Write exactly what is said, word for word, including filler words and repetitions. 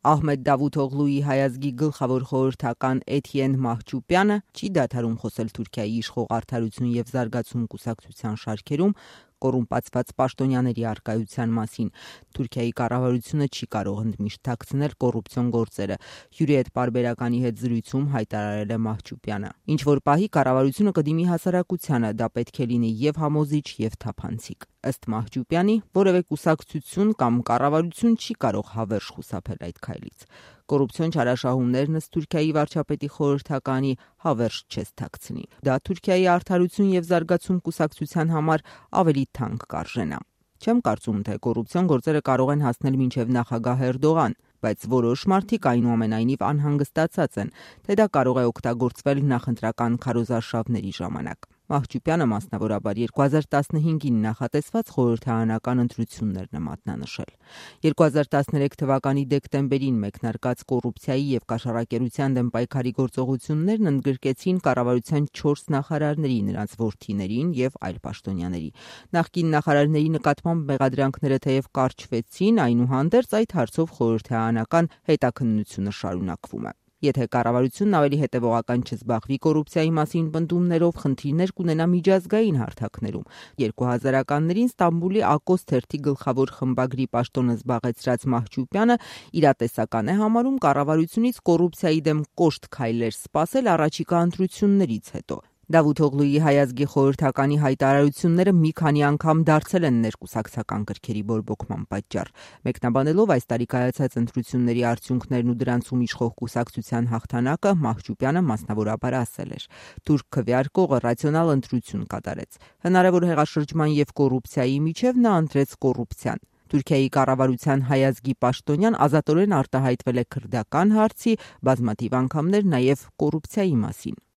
Ահմեդ Դավութօղլուի հայազգի գլխավոր խորհրդական Էթիեն Մահչուպյանը չի դադարում խոսել Թուրքիայի իշխող Արդարություն և զարգացում կուսակցության շարքերում կոռումպացված պաշտոնյաների առկայության մասին։ Թուրքիայի կառավարությունը չի կարող ընդմիշտ թաքցնել կոռուպցիոն գործերը, հյուրի հետ պարբերականի հետ զրույցում հայտարարել է Մահչուպյանը։ Ինչ որ պահի կառավարությունը կդիմի հասարակությանը, դա պետք է լինի եւ համոզիչ, եւ թափանցիկ։ Ըստ Մահչուպյանի, որևէ կուսակցություն կամ կառավարություն չի կարող հավերժ խուսափել այդ քայլից։ Կոռուպցիոն չարաշահումներն ըստ Թուրքիայի վարչապետի խորհրդականի հավերժ չես թաքցնի։ Դա Թուրքիայի Արդարություն և զարգացում կուսակցության համար ավելի թանկ կարժենա։ Չեմ կարծում, թե կոռուպցիոն գործերը կարող են հասնել մինչև նախագահ Էրդողան, բայց որոշ մարդիկ այնուամենայնիվ անհանգստացած են, թե դա կարող է օգտագործվել նախընտրական քարոզարշավների ժամանակ։ Մահչուպյանը մասնավորաբար երկու հազար տասնհինգին նախատեսված խորհրդարանական ընտրություններն է մատնանշել։ երկու հազար տասներեք թվականի դեկտեմբերին մեկնարկած կոռուպցիայի և կաշառակերության դեմ պայքարի գործողություններն ընդգրկեցին կառավարության չորս նախարարների, նրանց որդիներին և այլ պաշտոնյաների։ Նախկին նախարարների նկատմամբ մեղադրանքները թեև կարճվեցին, այնուհանդերձ այդ հարցով խորհրդարանական հետաքննությունը շարունակվում է։ Եթե կառավարությունն ավելի հետևողական չզբաղվի կոռուպցիայի մասին պնդումներով, խնդիրներ կունենա միջազգային հարթակներում։ երկու հազարականներին Ստամբուլի Ակոս թերթի գլխավոր խմբագրի պաշտոնը զբաղեցրած Մահչուպյանը իրատեսական է համարում կառավարությունից կոռուպցիայի դեմ կոշտ քայլեր սպասել առաջիկա ընտրություններից հետո։ Դավութօղլուի հայազգի խորհրդականի հայտարարությունները մի քանի անգամ դարձել են ներկուսակցական գրքերի բորբոքման պատճառ։ Մեկնաբանելով այս տարի կայացած ընտրությունների արդյունքներն ու դրանցում իշխող կուսակցության հաղթանակը, Մահչուպյանը մասնավորաբար ասել էր. «Թուրք քվեարկողը ռացիոնալ ընտրություն կատարեց։ Հնարավոր հեղաշրջման և կոռուպցիայի միջև նա ընտրեց կոռուպցիան։ Թուրքիայի կառավարության հայազգի պաշտոնյան ազատորեն արտահայտվել է քրդական հարցի, բազմաթիվ անգամներ նաև կոռուպցիայի մասին»։